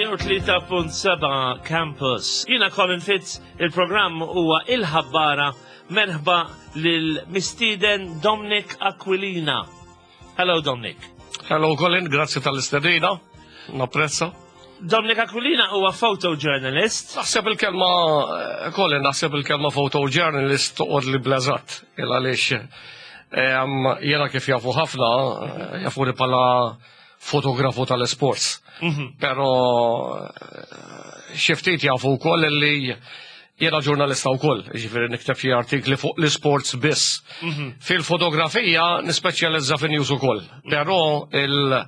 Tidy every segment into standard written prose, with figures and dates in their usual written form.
103.7 Campus. Jina Colin Fitz, il-programm huwa il-ħabbara merħba lil mistieden Dominic Aquilina. Hello Dominic. Hello Colin, grazzi tal-istedina, napprezza. Dominic Aquilina huwa photojournalist. Naħseb il-kelma, eh, Colin, naħseb il-kelma photojournalist toqgħod li blażat, il għaliex eh, jena kif jafu ħafna, eh, jafu li pala fotografu tal-sports. Mhm. Pero xi ftit jafu wkoll li jiena ġurnalista wkoll, jiġifieri nikteb xi artikli fuq l-sports biss. Mhm. Fil-fotografija nispeċjalizza fin news ukoll, però il-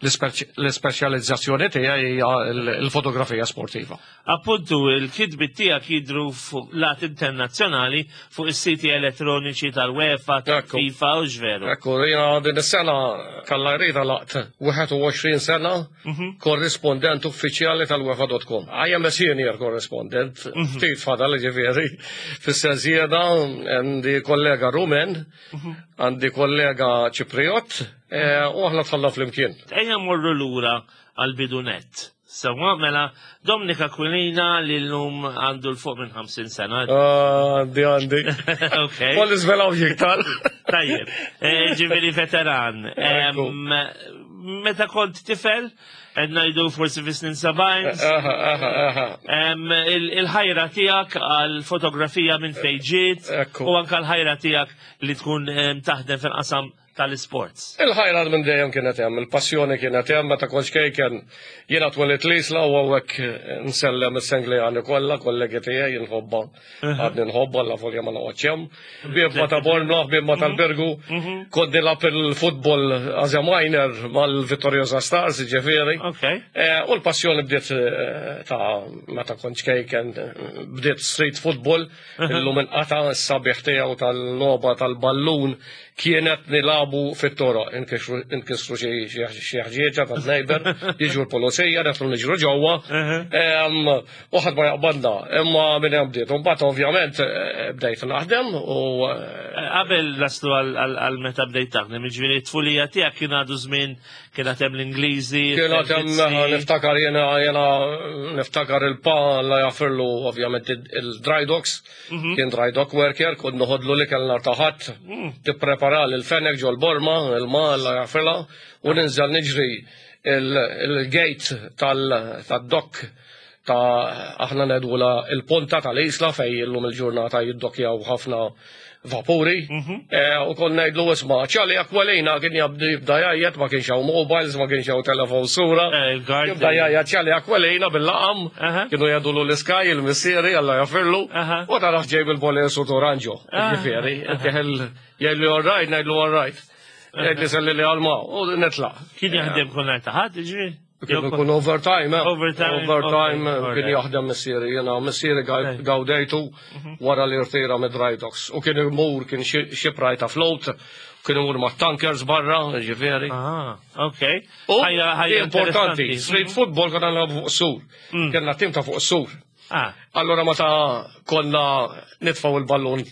l-ispeċjalizzazzjoni tiegħi hija l-fotografija sportiva. Appuntu, il-kitbiet tiegħek jidru fuq lat internazzjonali fuq is-siti elettroniċi tal-UEFA, tal-FIFA u x'veru. Ekku, jiena din is-sena kalla jrida laqt 21 sena mhm. korrispondent uffiċjali tal-UEFA.com. I am a senior correspondent, mhm. ftit fadal ġifieri, fis-sens jiena għandi kollega Rumen, mhm. għandi kollega Ċipriot, eh, u aħna tħalla flimkien. Ejja morru lura għal-bidunet. Sewwa, mela, Dominic Aquilina li l-lum għandu l-fuq minn 50 sena. Ah, għandi, għandi. Ok. Kolli zvelaw jiktar. Tajjeb, eh, ġiviri veteran. Meta kont tifel, ngħidu forsi fi snin 70, il-ħajra tiegħek għal fotografija minn fejn ġiet u anka l-ħajra tiegħek li tkun taħdem fil-qasam tal-sports. Il-ħajra minn dejjem kienet hemm, il-passjoni kienet hemm meta kont ċkejken jiena twelidt l-Isla u hawnhekk nsellem is-Sengleani kollha, kollegi tiegħi nħobba, għadni nħobba la folja ma noqgħodx hemm. Ħbieb ma ta' Bormla, ħbieb ma tal-Birgu, mhm. kont nilgħab il-futbol as a minor mal-Vittoriosa Stars, ġifieri. Eh, u l-passjoni bdiet eh, ta' meta kont ċkejken bdiet street football, illum inqata' s-sabiħ tiegħu tal-logħba tal-ballun kienet nilagħbu fit-toroq, inkisru xi ħġieġa tan-neighbor, jiġu l-pulizija, nidħlu niġru ġewwa, u ħadd ma jaqbadna, imma minn hemm bdiet. Imbagħad ovvjament eh, bdejt naħdem u eh, Qabel naslu għal meta bdejt taħdem, jiġifieri t-tfulija tiegħek kien għadu żmien kien hemm l-Ingliżi. Kien hemm niftakar jiena jiena niftakar il-pa la jafirlu ovvjament il-dry docks. Mhm. Kien dry dock worker, kont noħodlu li kellna taħat, mm. tipprepara l-fenek ġol borma, il-ma la jafila, u ninżel niġri il-gate tal-dock ta' aħna nedwula il-ponta tal-isla fej illum il-ġurnata jiddokjaw ħafna vapuri. Mhm. Eh, u kon ngħidlu isma' ċali Aquilina kien jabdu jibda jgħajjat ma kienx hawn mobiles, ma kienx hawn telefon sura. Eh, jibda jgħajjat ċali Aquilina bil-laqam, kienu jgħidulu l-iskaj il-missieri Alla jafirlu, u taraħ ġej bil-boles u toranġo. Ah. Ġifieri, jgħidlu all right, ngħidlu all right. Jgħidli selli li għalma, u netlaq. Kien jaħdem kull nhar ta' ħadd, ġifieri? Kien ikun overtime, eh? Overtime. Overtime eh, kien jaħdem missieri, jena missieri gawdejtu mhm. wara li rtira mid dry docks. U kien imur, kien xipraj ta' float, kien imur ma' tankers barra, ġifieri. Ah, ok. U importanti, street mhm. football konna nilagħbu fuq sur. Mm. Kellna tim ta' fuq sur. Ah. Allora meta konna nitfgħu il-ballun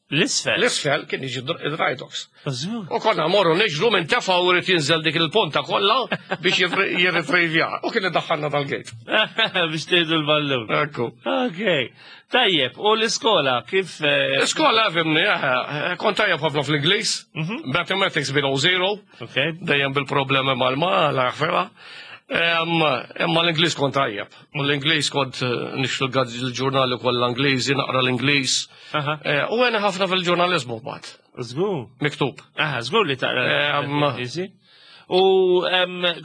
L-isfel? L-isfel kien jiġi id-dry docks. U konna morru niġru minn tefa u rrit jinżel dik il-ponta kollha biex jirritrivja. U kien iddaħħalna tal-gate. Biex tgħidu l-ballun. Ekku. Ok. Tajjeb, u l-iskola kif. Eh, l-iskola fimni, eh, eh, kont tajjeb ħafna fl-Ingliż, mhm. mathematics below zero, dejjem bil-problemi mal-ma, l-aħfera. Imma l-Ingliż kont tajjeb. U l-Ingliż kont nixtru l-ġurnali kollha Ingliżi, naqra l-Ingliż. Eh, u għena ħafna fil-ġurnalizmu mbagħad. Żgur. Miktub. Aha, żgur li taqra. U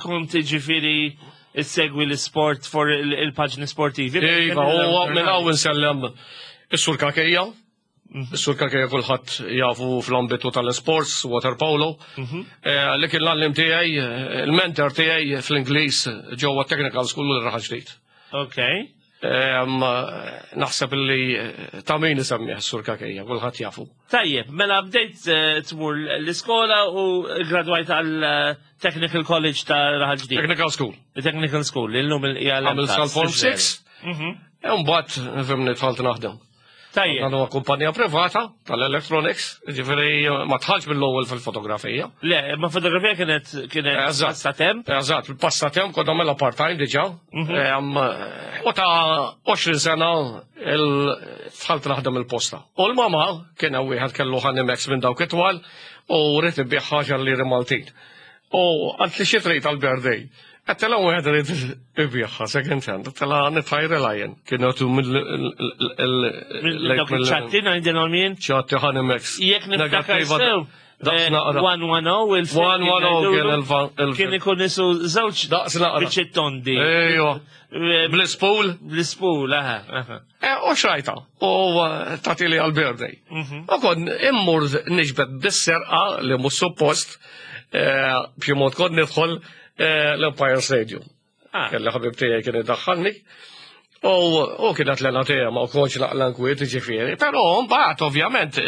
kont ġifieri segwi l-sport for il-paġni sportivi. Iva, u minn hawn insellem is-sur Kakejja. Mhm. Is-sur Kakejja kulħadd jafu fl-ambitu tal-sports, water polo. Mhm. Eh, li kien l-għallim tiegħi, il-mentor tiegħi fl-Ingliż ġewwa Technical School l-Raħal Ġdid. Ok. Naħseb li eh, ta' min isemmih sur kakejja, kulħadd jafu. Tajjeb, mela bdejt eh, tmur l-iskola u gradwajt għal eh, Technical College ta' Raħal Ġdid. Technical School. Technical School, illum il-hija Għamil sal-Form 6. Mhm. Mbagħad fimni tħalt naħdem. Tajjeb. Dan huwa kumpanija privata tal-electronics, ġifieri ma tħallx mill-ewwel fil-fotografija. Le, ma fotografija kienet kienet Eżatt. passatemp. Eżatt, il-passatemp kont nagħmilha part-time diġà. U ta' 20 sena dħalt naħdem il-posta. U l-mama kien hemm wieħed kellu Hanimex minn dawk it-twal u rrid ibigħ ħaġa liri Maltin. U għalt li xi trid għall-birthday. Għedtilha wieħed irid ibigħha second hand, għedtilha nitħajrilha jien. Kienu għatu mill Minn dawk iċ-ċatti ngħidilhom jien. ċatti Hanimex. Jekk niftakar sew. Daqs naqra. 110 il-film. 110 kien il-film. Kien ikun isu żewġ Daqs naqra. biċċiet tondi. Ejwa. Bl-ispool. Bl-ispool, aha. aha. U xrajta. U tatili għal-birthday. U kon immur niġbed bis-serqa li mhux suppost b'xi mod kont nidħol l-Empire Stadium. Kelli ħabib tiegħi kien idaħħalni. U kienet l-għena tiegħi ma kontx naqla nkwiet ġifieri. Però mbagħad ovvjament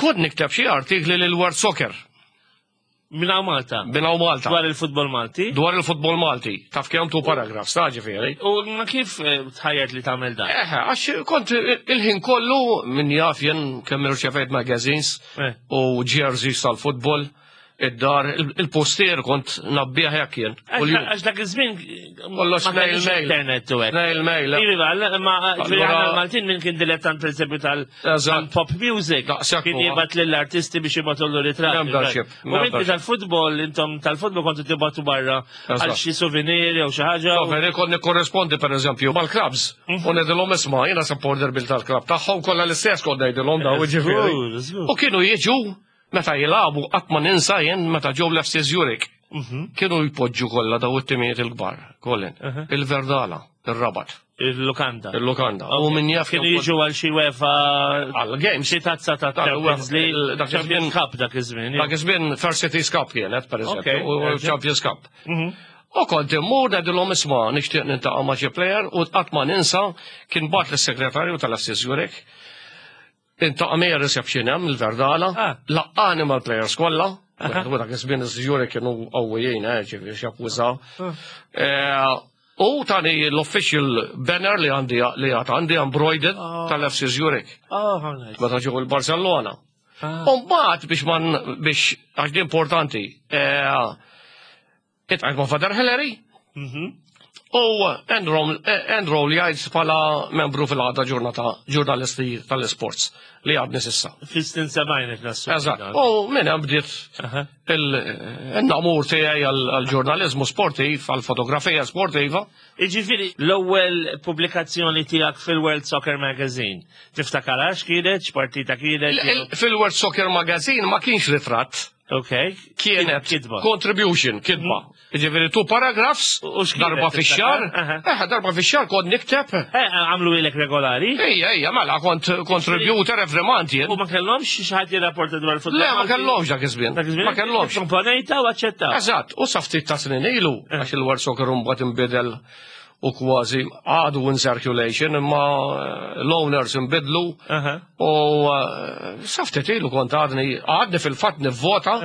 kont nikteb xi artikli lil World Soccer. Minn hawn Malta. Minn hawn Malta. Dwar il-futbol Malti. Dwar il-futbol Malti. Taf kemm tu paragraf, sta ġifieri. U ma kif tħajjert li tagħmel dan? Eħe, għax kont il-ħin kollu min jaf jien kemm irċevejt magazines u jerseys tal-futbol, id-dar, il-postier kont nabbih hekk jien. Għax dak iż-żmien Kollox ma kellix snail mail. internet u hekk. Snail mail. Iva, ma ġifieri Allura- aħna l-Maltin minn kien dilettant pereżempju Eżatt. tal-pop music. Daqshekk Kien huwa. jibgħat lill-artisti biex jibgħatullu ritratti. Membership, U inti membership. tal-futbol, intom tal-futbol kontu tibgħatu barra għal Eżatt. xi souvenir jew xi ħaġa. Soferi kont nikkorrespondi per eżempju mal-clubs. U ngħidilhom isma' jiena supporter bil tal-club tagħhom kollha l-istess kont ngħidilhom daw ġifieri. Żgur, żgur. U kienu jiġu meta jilagħbu qatt ma ninsa jien meta ġew l-FC Zurich. Kienu jpoġġu kollha daw it-timijiet il-kbar, Colin. Il-Verdala, il-Rabat, Il-lukanda. il-Lukanda. U min jaf Kienu jiġu għal xi UEFA għal games. xi tazza ta' Tal- Champions League, dak Champions iż-żmien- Cup dak iż-żmien. Dak iż-żmien First Cities Cup kienet, per eżempju, Ok, u erġa'. Champions Cup. U kont immur ngħidilhom isma' nixtieq niltaqa' ma' xi player u qatt ma ninsa kien bagħat lis-segretarju tal-FC Zurich. Iltaqa' miegħi reception hemm il-Verdala, laqqani mal-players kollha. U dak iż-żmien iż-Zurich kienu qawwijin, ġifieri x'jakkużaw. U tani l-official banner li għandi li għad għandi embroidered tal-FC Zurich. Oh, how nice. Meta ġew il-Barcellona. U mbagħad biex man biex għax di importanti, iltqajt ma' Father Hillary u enroll jgħid bħala membru fil-għaqda ġurnata ġurnalisti tal-sports li għadni s'issa. Fis-snin 70 qed nassu. Eżatt. U minn hemm bdiet il-namur tiegħi għall-ġurnaliżmu sportiv, għall-fotografija sportiva. Iġifieri, l-ewwel pubblikazzjoni tiegħek fil-World Soccer Magazine. Tiftakarha x'kienet, x'partita kienet? Fil-World Soccer Magazine ma kienx ritratt. Ok. Kienet Kitba. contribution, kitba. Ġifieri two paragraphs, U x'kienet, darba fix-xahar. tiftakar? Eh, darba fix-xahar kont nikteb. Għamlu ilek regolari? Ejja, ejja, mela kont contributor every month jien. U ma kellhomx xi ħadd jirrapporta dwar il-futbol? Le, ma kellhomx dak iż-żmien. Dak iż-żmien? Ma kellhomx. Komponejta u aċċettaw. Eżatt, u sa ftit ta' snin ilu, għax il-World Soccer mbagħad inbidel u kważi għadu in circulation, imma l-owners inbidlu. U sa ftit ilu kont għadni, għadni fil-fatt nivvota,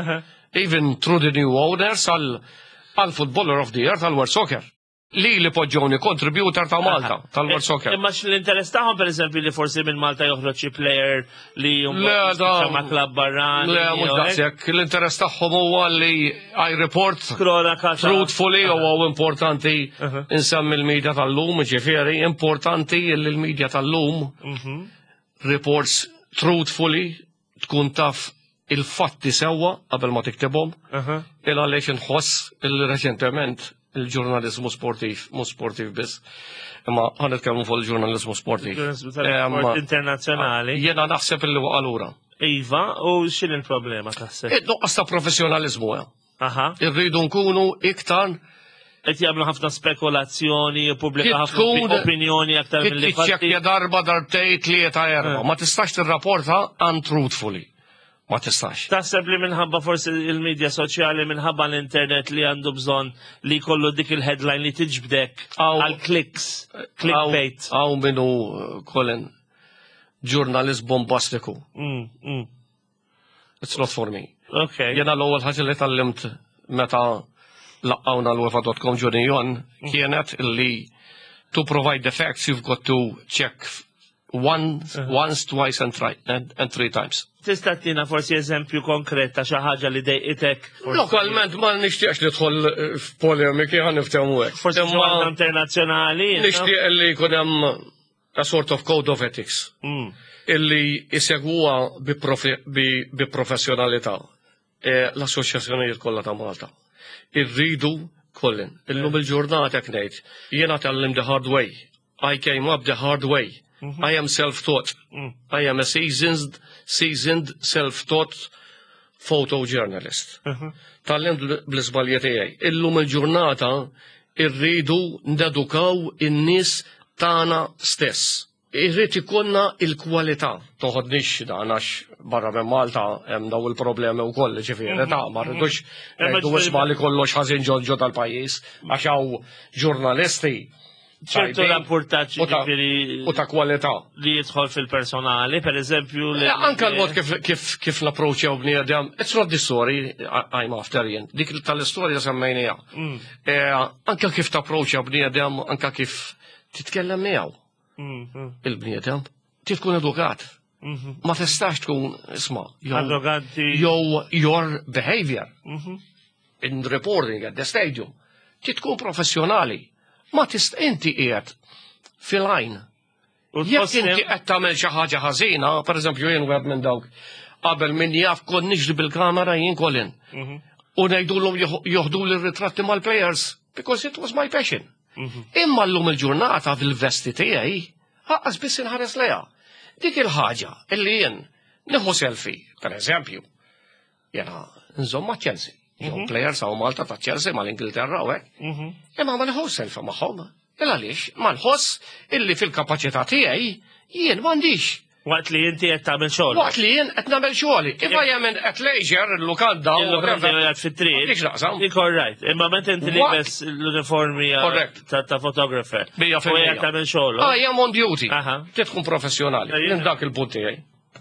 even through the new owners għal għal Footballer of the Year tal-World Soccer. Li li poġġoni contributor ta' Malta, tal-World Soccer. Imma l-interess tagħhom pereżempju li forsi minn Malta joħroġ xi player li Le, da- ma' klabb barrani. Le, mhux jew hekk? daqshekk. L-interess tagħhom huwa li I report Kronaka ta' truthfully u huwa importanti insemmi l-medja tal-lum, ġifieri, importanti li l-medja tal-lum reports truthfully tkun taf il-fatti sewwa qabel ma tiktibhom. Il għaliex inħoss il-reċentement il-ġurnalizmu sportiv, mhux sportiv biss, imma ħa nitkellmu fuq il-ġurnalizmu sportiv. Ġurnalizmu tal-sport internazzjonali. Jiena naħseb illi waqa' lura. Iva, u x'in il-problema taħseb? Id-nuqqas ta' professjonalizmu, eh. Aha. Irridu nkunu iktar Qed jagħmlu ħafna spekulazzjoni, jippubblika Kif ħafna tkun- opinjoni aktar milli fatti. Tiċċekkja darba, darbtej, tlieta, erba. Ma tistax tirrapporta untruthfully. Ma tistax. Taħseb li minħabba forsi il-medja soċjali, minħabba l-internet li għandu bżonn li jkollu dik il-headline li tiġbdek għal clicks, clickbait. Hawn minnu, Colin, ġurnalist bombastiku. It's not for me. Ok. Jena l-ewwel ħaġa li tgħallimt meta laqqawna l-UEFA.com Junion kienet illi To provide the facts, you've got to check once, twice and, and three times. Tista' tina forsi eżempju konkret ta' xi ħaġa li dejqitek? Lokalment ma nixtieqx nidħol f'polemiki, ħa niftehmu hekk. Forsi xi waħda internazzjonali. Nixtieq li jkun hemm a sort of code of ethics illi jsegwuha bi professjonalità l-assoċjazzjonijiet kollha ta' Malta. Irridu kollin. Illum il-ġurnata ngħid, jiena tgħallimt the hard way. I came up the hard way. I am self-taught. I am a seasoned self-taught photojournalist. Tgħallimt bl-iżbalji tiegħi. Illum il-ġurnata irridu nedukaw in-nies tagħna stess. Irrid ikollna il-kwalità. Toħodnix dan għax barra minn Malta hemm daw il-problemi wkoll, ġifieri ta' ma rridux ngħidu isma' li kollox ħażin ġo tal-pajjiż għax hawn ġurnalisti ċertu rapportaġġ ġifieri u ta' kwalità. Li jidħol fil-personali, per eżempju. Anka l-mod kif l-approachjaw bniedem, it's not the story I'm after jien, dik tal-istorja semmejnija. Anka kif tapproachja bniedem, anka kif titkellem miegħu. Il-bniedem, tkun edukat. Ma tistax tkun, isma', jew your behavior in reporting at the stadium. Tkun professjonali. Ma tist inti qiegħed fil-għajn. Jekk inti qed tagħmel xi ħaġa ħażina, pereżempju jien wieħed minn dawk, qabel min jaf kont niġri bil-kamera jien kolin. U ngħidulhom joħdu l-ritratti mal-players because it was my passion. Imma llum il-ġurnata fil-vesti tiegħi lanqas biss inħares lejha. Dik il-ħaġa illi jien nieħu selfie, per eżempju, jena nżomm ma' Chelsea. Jew players hawn Malta ta' Chelsea mal-Ingilterra u hekk. Imma ma nieħu selfie magħhom. Il għaliex ma nħoss illi fil-kapaċità tiegħi jien m'għandix. Waqt li inti qed tagħmel xogħol. Waqt li jien qed nagħmel xogħli. If I am at leisure, il-lukanda u Il-lukanda qiegħed fit-triq. Dik naqsam. Dik all right. Imma meta inti libes l-uniformi ta' photographer. Mija U fil-mija. qiegħed tagħmel xogħol. I am on duty. Trid tkun professjonali. Ejja. Minn dak il-punt tiegħi.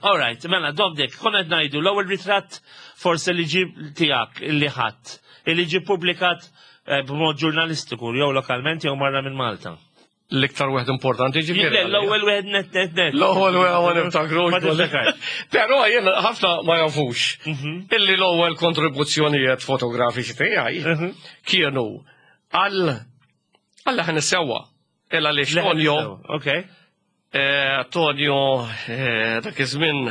All right, mela, Dominic, konna qed ngħidu l-ewwel ritratt forse li ġib tiegħek illi ħadd, illi ġie publikat b'mod ġurnalistiku jew lokalment jew marra minn Malta. L-iktar wieħed importanti ġifieri. Le, l-ewwel wieħed net net net. L-ewwel wieħed ma niftakrux. Ma tiftakar. Però jien ħafna ma jafux illi l-ewwel kontribuzzjonijiet fotografiċi tiegħi kienu għal Leħen is-Sewwa. Illa li Tonio, Tonio dak iż-żmien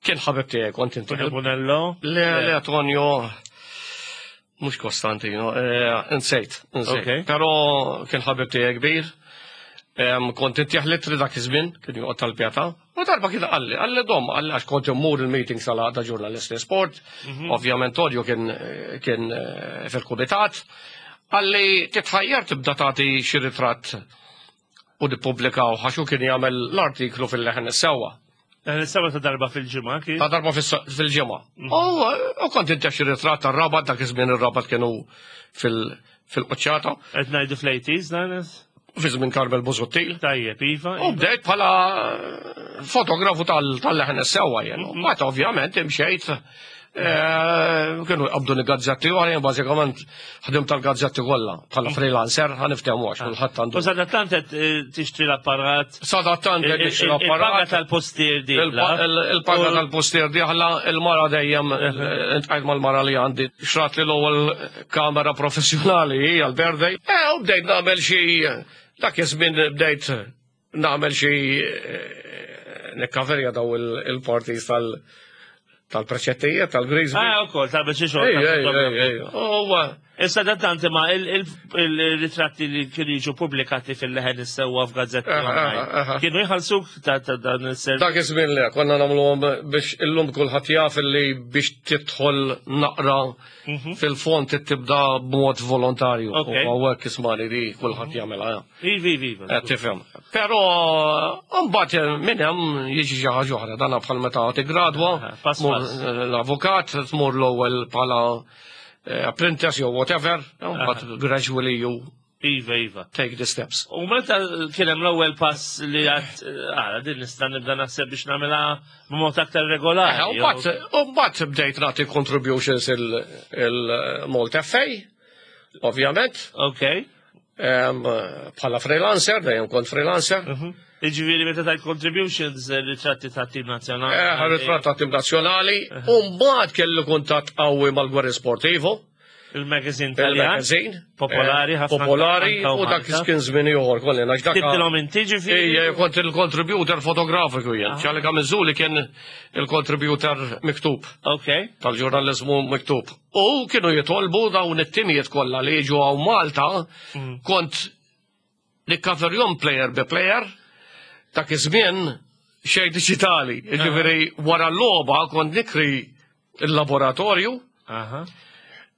kien ħabib tiegħi kont inti. Tonio Bonello? Le, le, Tonio mhux Kostantino, insejt, insejt. Però kien ħabib tiegħi kbir. Kont intih l-ittri dak iż-żmien, kien joqgħod tal-Pietà. U darba kien qalli Dom, qalli għax kont immur il-meeting sal-għaqda ġurnalisti sport, ovvjament Tonio kien fil-kumitat, qalli titħajjar tibda tagħti xi ritratt u nippubblikaw għax hu kien jagħmel l-artiklu fil-Leħen is-Sewwa. Leħen is-Sewwa ta' darba fil-ġimgħa kien? Ta' darba fil-ġimgħa. U kont intih xi ritratt tar-Rabat, dak iż-żmien ir-Rabat kienu fil-quċċata. Qed ngħidu fl-80s, dan? Fi żmien Carmel Busuttil. Tajjeb, iva. U bdejt bħala fotografu tal-Leħen is-Sewwa jien. Mbagħad ovvjament imxejt, kienu jqabdu gazzetti u għalien bażikament ħdim tal-gazzetti kollha bħala freelancer, ħa niftehmu għax kulħadd għandu. U sadattant qed tixtri l-apparat. Sadattant qed tixtri Il-paga l-apparat. tal-postier dieħla. Il-paga tal-postier dieħla, il-mara dejjem, intqajt mal-mara li għandi, xtrat li l-ewwel kamera professjonali għal-birthday. U bdejt nagħmel xi, dak iż-żmien bdejt nagħmel xi nikkaverja daw il-parties tal-preċettijiet, tal-Grisby. Ah, ukoll, ta' biex xogħol. Ej, ej, ej, ej. Uwa. Issa da tanti ma il-ritratti li kienu jiġu pubblikati fil-Leħen is-Sewwa f'gazzetti online. Kienu jħallsuk ta' dan is-servizz? Dak iż-żmien le, konna nagħmluhom biex illum kulħadd jaf li biex tidħol naqra fil-fond tibda b'mod volontarju. U hawnhekk ismani li kulħadd jagħmilha, ja. Ivi, ivi, ivi. Qed tifhem. Però mbagħad minn hemm jiġi xi ħaġa oħra, dan bħal meta tigradwa, Pass, tmur pass. l-avukat, tmur l-ewwel bħala apprentice jew whatever, but gradually you Iva, iva. take the steps. U meta kien hemm l-ewwel pass li għad, għara, din nista' nibda naħseb biex nagħmilha b'mod aktar regolari. U mbagħad bdejt nagħti contributions il-Malta FA, ovvjament. Bħala freelancer, dejjem kont freelancer. Iġifieri meta tajt contributions ritratti ta' tim nazzjonali. Ritratt ta' tim nazzjonali. U mbagħad kelli kuntatt qawwi mal-Guerin Sportivo. Il-magazine Taljan. Il-magazine. Popolari ħafna. Popolari anka u dak Malta. kien żmien ieħor kolli għax dak. Tibdilhom inti ġifieri. Ejja, kont il-contributor fotografiku jien. Ċali Kamizzuli kien il-contributor miktub. Ok. Tal-ġurnalizmu miktub. U kienu jitolbu dawn it-timijiet kollha li jiġu hawn Malta, kont nikkaverjom player bi player, dak iż-żmien xejn diġitali. Ġifieri wara l-logħba kont nikri il-laboratorju.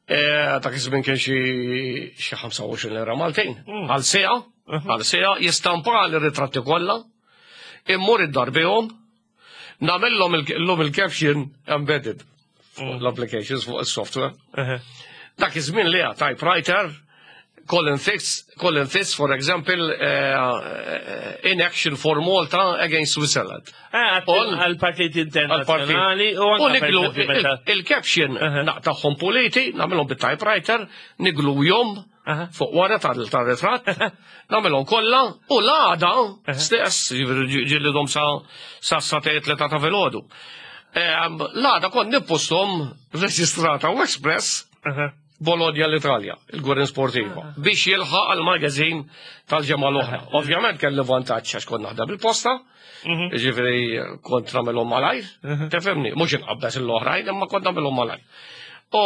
Dak iż-żmien kien xi 25 lira Maltin. Għal siegħa, għal siegħa jistampa l-ritratti kollha, immur id-dar bihom, nagħmilhom illum il-caption embedded fuq l-applications fuq il-software. Dak iż-żmien li typewriter, Colin Fitz, Colin Fitz, for example, in action for Malta against Switzerland. Għal-partiti internazzjonali u U anke per niglu eżempju meta. il-caption naqtagħhom puliti, nagħmilhom bit-typewriter, niglu jom fuq wara tal-ritratt, nagħmilhom kollha u l-għada stess, ġieli dom sa sa 3 ta' filgħodu. L-għada kont nippostom reġistrata u Express Bologna l-Italja, il-Guerin Sportiva, biex jilħaq għal-magazin tal-ġemgħa l-oħra. Ovvjament kelli vantaġġ għax kont naħdem bil-posta, ġifieri kont nagħmelhom malajr, tifhimni, mhux inqabbes l-oħrajn, imma kont nagħmelhom malajr. U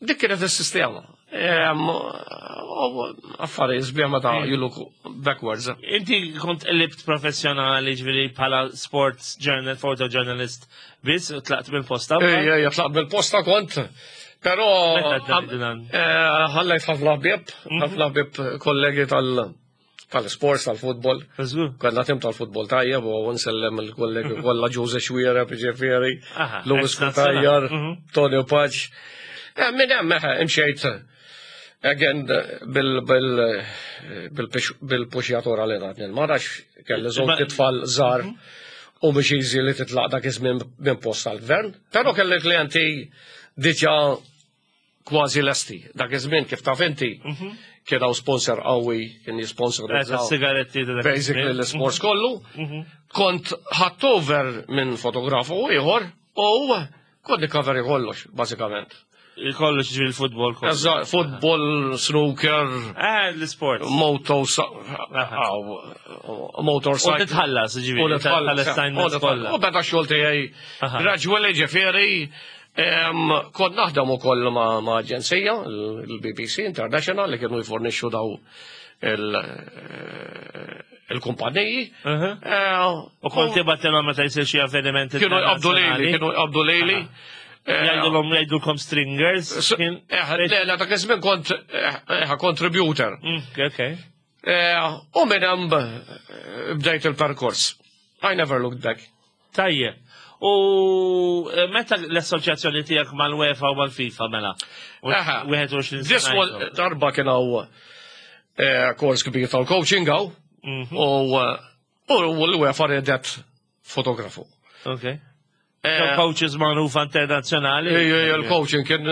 dik kienet is-sistema. U affarijiet sbieħ meta you look backwards. Inti kont qlibt professjonali ġifieri bħala sports journal, photojournalist biss, u tlaqt mill-posta. Ejja, ejja, tlaqt bil-posta kont. Però Meta bdejt dan? Ħallejt ħafna ħbieb, ħafna ħbieb kollegi tal-sports, tal-futbol. Żgur. Kellna tim tal-futbol tajjeb u nsellem il-kollegi kollha Ġuże Xwiereb, ġifieri, Louis ex-nazzjonali. Cutajar, Tony Paċ. Minn hemm imxejt again bil-puxjatura li tatni l-mara kelli żewġ tfal żgħar u mhux easy li titlaq dak iż-żmien minn post tal-gvern. Però kelli klijenti diġà kważi lesti. Dak iż-żmien kif taf inti kien hawn sponsor qawwi kien jisponsor Sigaretti ta' dak basically iż-żmien. l-sports kollu. Kont ħadt over minn fotografu ieħor u kont nikaveri kollox, bażikament. Kollox ġifieri il-futbol kollu. Eżatt, football, snooker, L-sports. moto, U motorcycle. titħallas U ġifieri nitħallas, tal-assignments u kollha. U beda xogħol tiegħi gradually ġifieri kont naħdem ukoll ma' aġenzija, il-BBC International, li kienu jfornixxu daw il-kumpaniji. U kont tibgħatilhom meta jsir xi avveniment Kienu jqabdu lili, internazzjonali. kienu jqabdu lili. Jgħidulhom jgħidulkom stringers. Le, le, dak iż-żmien kont contributor. U minn hemm bdejt il-perkors. I never looked back. Tajjeb. U meta l-assoċjazzjoni tiegħek mal-UEFA u mal-FIFA mela? 21 This sena one, ilu. darba kien hawn kors kbir tal-coaching hawn, u l-UEFA redet fotografu. Ok. Coaches magħrufa internazzjonali. Ej, il-coaching kien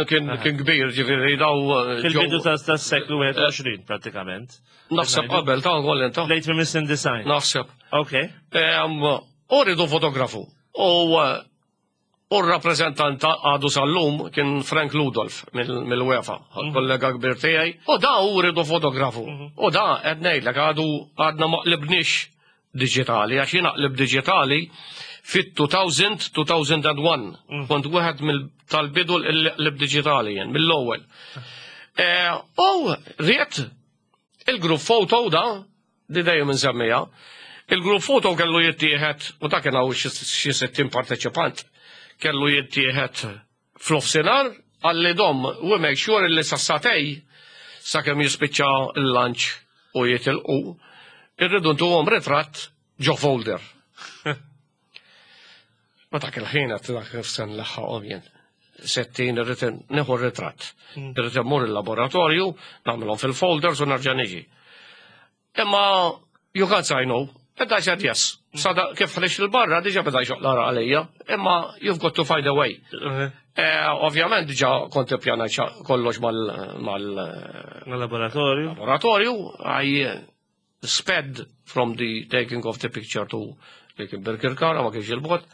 kbir, ġifieri daw. Fil-bidu ta' seklu 21 pratikament. Naħseb qabel ta' kollin ta' Late minn design. Naħseb. Ok. U ridu fotografu. U r-rappreżentant għadu sal-lum kien Frank Ludolf mill-UEFA, kollega kbir tiegħi. U da u ridu fotografu. U da qed ngħidlek għadu għadna ma qlibniex digitali, għax jien aqlib digitali fit-2000, 2001. Kont wieħed tal-bidu l-qlib digitali jien, mill-ewwel. U ried il-group photo da, di dejjem nsemmiha, il-group photo kellu jittieħed, u da kien hawn xi 60 parteċipant, kellu jittieħed fl-offsinar, għalli dom, we make sure li sassatej, sakemm jispiċċa il-lunch u jitilqu, irridu ntuhom ritratt ġo folder. Ma dak il-ħin għat dak sen laħħaqhom jien. 60 irrid nieħu r-ritratt. Irrid immur il-laboratorju, nagħmilhom fil-folders u nerġa' niġi. Imma you can't say no. And I said yes. Sada kif ħriġt il-barra diġa beda jxoq l-għaraq għalija, imma you've got to find a way. Ovvjament diġa kont ippjanajt kollox mal Laboratorju. Laboratorju, I sped from the taking of the picture to li kien Birkirkara ma kienx il-bot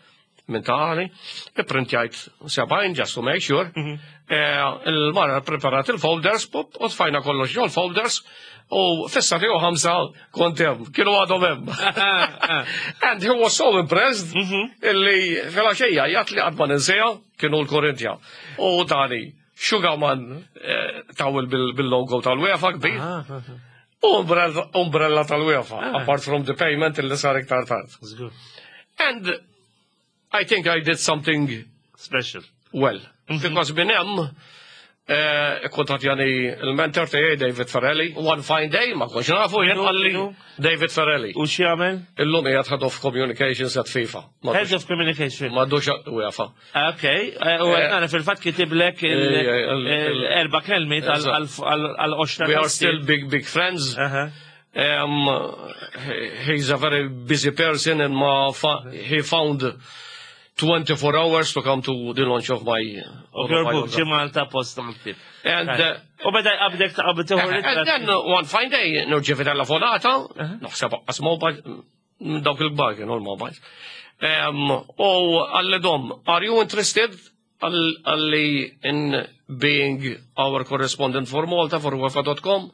minn ta' għali, ipprintjajt 70 just to make sure. Il-mara preparat il-folders, pop, u tfajna kollox ġol folders, u fissa tiegħu 5 kont hemm, kienu għadhom hemm. And he was so impressed illi filgħaxija jgħat li qatt ma ninsiha kienu l-Korintja. U tani, Sugarman tawel bil-logo tal-UEFA kbir. U umbrella tal-UEFA, apart from the payment illi sar iktar tard. And I think I did something special. Well, because minn hemm kontattjani il-mentor tiegħi David Ferrelli. One fine day, ma kontx nafu jien qalli David Ferrelli. U x'jagħmel? Illum qiegħed Head of Communications at FIFA. Head of Communication. M'għadux UEFA. Ok, u għana fil-fatt kitiblek il-erba' kelmiet għal-qoxra. We are still big, big friends. He's a very busy person and he found 24 hours to come to the launch of my book, ġie Malta post tal-ktieb. And, u beda jqabdek ta' qabel tieħu And then one fine day nirċievi telefonata, naħseb qas mobile, dawk il-kbar kienu l-mobiles. U qalli Dom, are you interested qalli in being our correspondent for Malta for UEFA.com?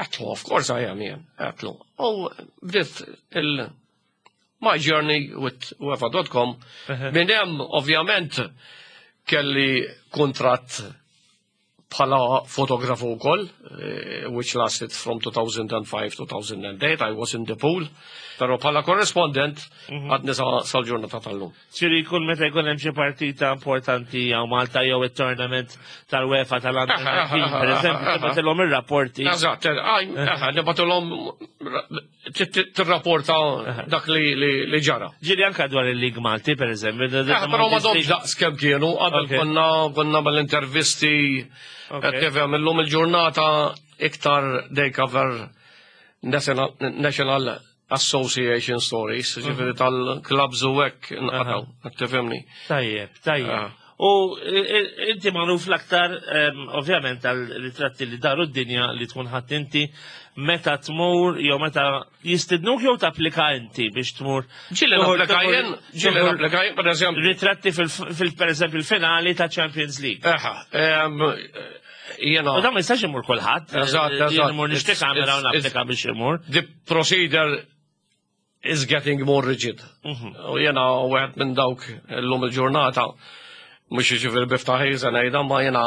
Għedtlu, of course I am, jien. Għedtlu. U bdiet il my journey with UEFA.com. Minn hemm, ovvjament, kelli kuntratt bħala fotografu wkoll, which lasted from 2005-2008, I was in the pool. Pero bħala correspondent, għadni sal-ġurnata tal-lum. Ġifieri jkun meta jkun hemm xi partita importanti jew Malta jew it-tournament tal-UEFA tal-Under 19, per eżempju, tibgħatilhom ir-rapporti. Eżatt, nibgħatilhom tirrapporta dak li ġara. Ġieli anka dwar il-Lig Malti, per eżempju. Però ma domx daqs kemm kienu, qabel konna mal-intervisti, qed tifhem illum il-ġurnata iktar they cover National Association stories, ġifieri tal-clubs u hekk nqataw, qed tifhimni. Tajjeb, tajjeb. U inti magħruf l-aktar, ovvjament, tal-ritratti li daru d-dinja li tkun ħadd inti meta tmur jew meta jistidnuk jew tapplika inti biex tmur. Ġieli napplika jien, ġieli napplika jien, per eżempju. Ritratti fil, per eżempju, il-finali ta' Champions League. Eħa, jiena. U dan ma jistax imur kulħadd. Eżatt, Jien eżatt. imur nixtieq kamera u napplika biex imur. The procedure is getting more rigid. U jiena wieħed minn dawk illum il-ġurnata, mhux jiġifieri biftaħi se ngħidha, ma jiena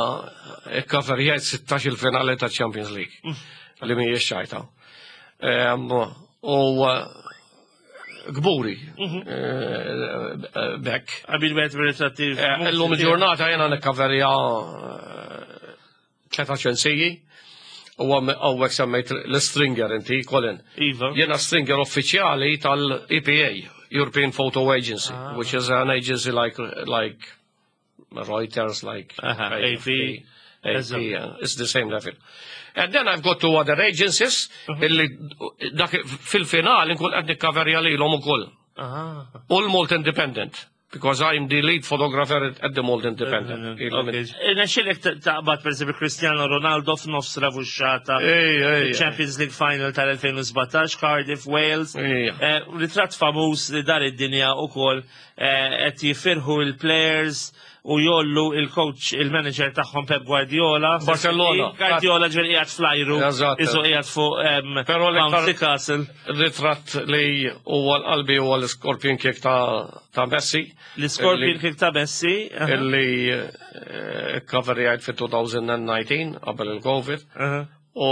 ikkaverjajt 16 il-finali ta' Champions League. Li mhijiex ċajta. U kburi bekk. Qabil wieħed mir-ritratti. Illum il-ġurnata jiena nikkaverja tliet aġenziji. U għawek semmejt l-stringer inti, Colin. Iva. Jiena stringer uffiċjali tal-EPA, European Photo Agency, which is an agency like Reuters, like AP. AP, it's the same level. And then I've got two other agencies illi dak fil-final nkun qed nikkaverja lilhom ukoll. U l-Malta Independent, because I'm the lead photographer at the Malta Independent. Nexxilek taqbad per esempio Cristiano Ronaldo f'nofs ravuxxata. Ej, ej, ej. Champions League Final tal-2017, Cardiff, Wales. Ejja. Ritratt famuż li dar id-dinja ukoll qed jifirħu il-players u jollu il-coach, il-manager tagħhom Pep Guardiola. Barcelona. Guardiola ġifieri qiegħed flajru. Eżatt. Isu qiegħed fuq Però l-iktar Bouncy Castle. Ritratt li huwa l-qalbi huwa l-Scorpion Kick ta' Messi. L-Scorpion Kick ta' Messi. Illi coverjajt fi 2019 qabel il-Covid. U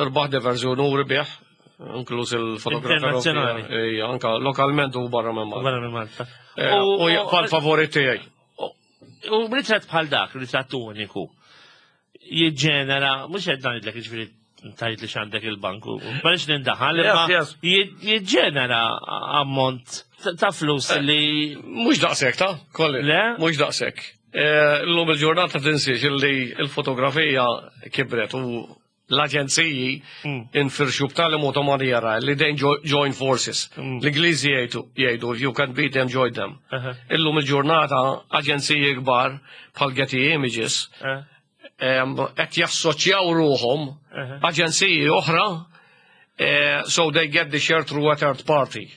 rbaħ diversi unuri bih, inkluż il-fotografer. Internazzjonali. Ejja, anka lokalment u barra minn Malta. Barra minn Malta. U jibqa' l-favorit tiegħi. U ritratt bħal dak, ritratt uniku, jiġġenera, mhux qed ngħidlek jiġifieri tajt li x'għandek il-banku, ma nix nindaħal, imma jiġġenera ammont ta' flus li Mhux daqshekk ta' kolli. Le? Mhux daqshekk. Illum il-ġurnata tinsiex illi il-fotografija kibret u L-aġenziji infirxu b'tali mod u maniera li they join forces. L-Ingliżi jgħidu if you can beat them, join them. Illum il-ġurnata aġenziji kbar bħal Getty Images qed jassoċjaw ruħhom aġenziji oħra, so they get the share through a third party.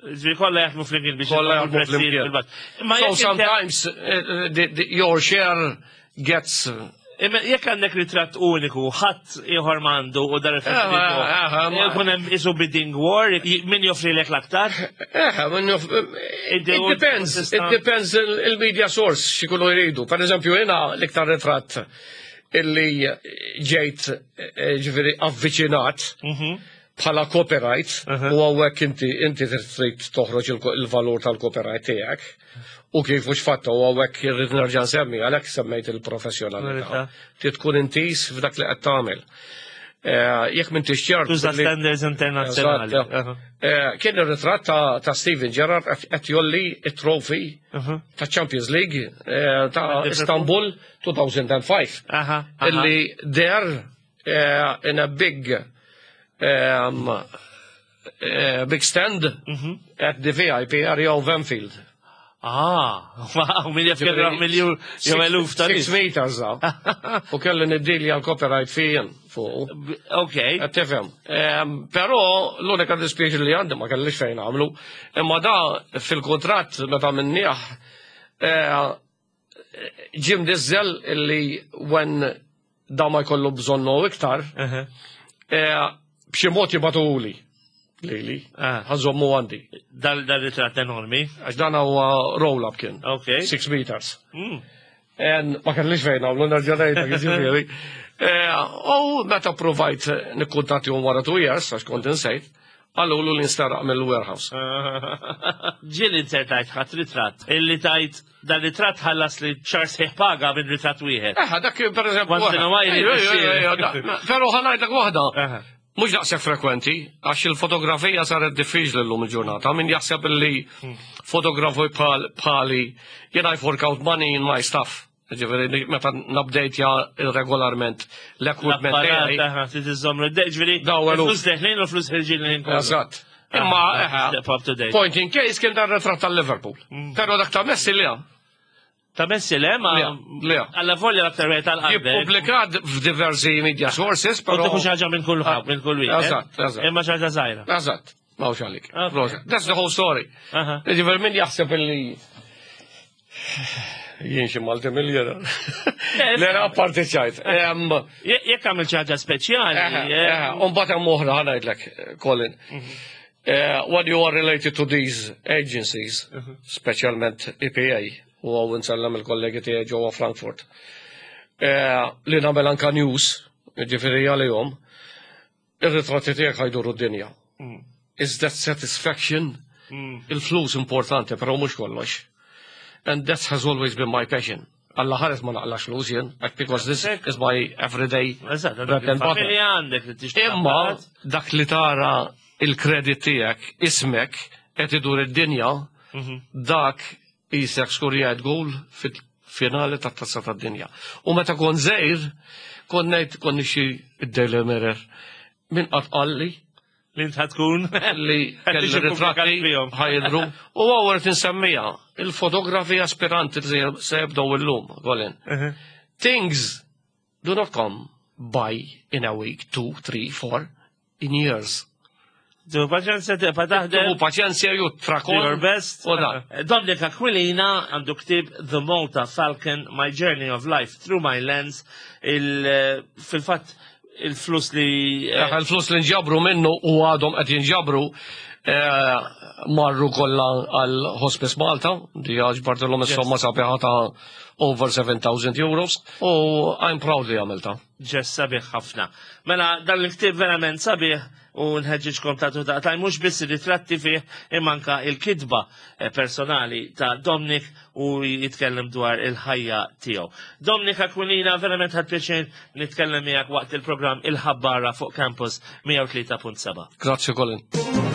Ġifieri kollha jaħdmu flimkien biex Kollha jaħdmu flimkien. Imma So jekk sometimes your share gets Imma jekk għandek ritratt uniku, ħadd ieħor m'għandu u dan ritratt jkun hemm isu bidding war, min joffrilek l-aktar? It depends, it depends il-media source x'ikunu jridu. Per eżempju, jiena l-iktar ritratt illi ġejt ġifieri avviċinat bħala copyright u hawnhekk inti trid toħroġ il-valur tal-copyright tiegħek u kif mhux fatta u hawnhekk irrid nerġa' nsemmi għalhekk semmejt il-professjonalità. Trid tkun intis f'dak li qed tagħmel. Jekk m'intix ċert Tuża standards internazzjonali. Eżatt. Kien ir-ritratt ta' Steven Gerrard qed jgħolli it-trophy ta' Champions League ta' Liverpool. Istanbul 2005. Illi there in a big stand at the VIP area of Anfield. Ah, wow, min jaf kemm miljun jew eluf ta' 6 nies. meters da. U kelli niddilja l-copyright fijin fuq. Qed tifhem. Però l-unika dispjaċir li għandi ma kellix fejn għamlu. Imma da fil-kuntratt meta minnieh ġim dizzel illi when da ma jkollu bżonnu iktar, b'xi mod jibgħatuhuli. Lili, ħa nżommu għandi. Dal ritratt enormi. Għax dan huwa roll-up kien. 6 meters. En ma kellix fejn għamlu nerġa' ngħidlek, jiġifieri. U meta provajt nikkuntatti wara 2 years, għax kont insejt, qalulu li nsteraq mill-warehouse. Ġieli insertajt ħadd ritratt, illi tajt dan ritratt ħallas li xahar sħiħ paga minn ritratt wieħed. Eħe, dak per eżempju. Once in a while, Ejja, ejja, ixxir. ejja, però ħa ngħidlek waħda. Mhux daqshekk frekwenti, għax il-fotografija saret diffiċli llum il-ġurnata. Min jaħseb li fotografu bħali jien I fork out money in my stuff. Ġifieri, meta nupdate regolarment l-equipment L-apparat, tiegħi. aha, trid iżżomm l-id-dejn, ġifieri, Daw għalu. il-flus deħlin u l-flus ħirġin li nkunu. Eżatt. Imma, eħe, Step up to date. point in case kien dan ritratt tal-Liverpool. Però dak ta' Messi li għam. Ta' Messi le, ma Le, le. Alla volja l-aktar wieħed tal-qalbek. Jippubblikat f'diversi media sources, U però. tieħu xi ħaġa minn kull ħadd, minn kull wieħed. Eżatt, eżatt. Imma xi ħaġa żgħira. Eżatt, mawx għalik. Ok. Proset. That's the whole story. Ġifieri min jaħseb illi jien xi multimillionaire. Le, apparti ċajt. Jekk għamil xi ħaġa speċjali. U mbagħad hemm oħra ħa ngħidlek, Colin. When you are related to these agencies, speċjalment EPA, u hawn insellem il-kollegi tiegħi ġewwa Frankfurt, li nagħmel anka news, ġifieri għalihom, ir-ritratti tiegħek ħa jduru d-dinja. Is that satisfaction? Il-flus importanti, però mhux kollox. And that has always been my passion. Alla ħares ma naqlax flus jien, like, because this is my everyday bread and butter. Familja għandek li tixtieq. Imma dak li tara il-kredit tiegħek, ismek, qed idur id-dinja, dak qisek skurjajt gol fil-finali tat-tazza tad-dinja. U meta kont żgħir, kont ngħid kont nixi id-Daily Mirror. Min qatt qalli li int tkun li Qed kelli tiġi ritratti ppubblikat fihom. ħa jidhru. U għawret insemmija, il-fotografi aspiranti li se jibdew illum, Colin. Things do not come by in a week, 2, 3, 4, in years. Tu paċenzja tibqa' taħdem. U paċenzja ju trakon. Do your best. U dan. Dominic Aquilina għandu ktib The Malta Falcon, My Journey of Life Through My Lens. Fil-fatt il-flus li Il-flus li nġabru minnu u għadhom qed jinġabru marru kollha għal Hospice Malta, di ġbartilhom is-somma sabiħa ta' over 7,000 euros u I'm proud li għamilta. Ġest sabiħ ħafna. Mela dan il-ktib verament sabiħ u nħeġġiġkom ta' ta' mhux biss ritratti fih imma anka il-kitba personali ta' Dominic u jitkellem dwar il-ħajja tiegħu. Dominic Aquilina, verament ħadt pjaċir nitkellem miegħek waqt il-programm Il-Ħabbara fuq Campus 103.7. Grazzi Colin.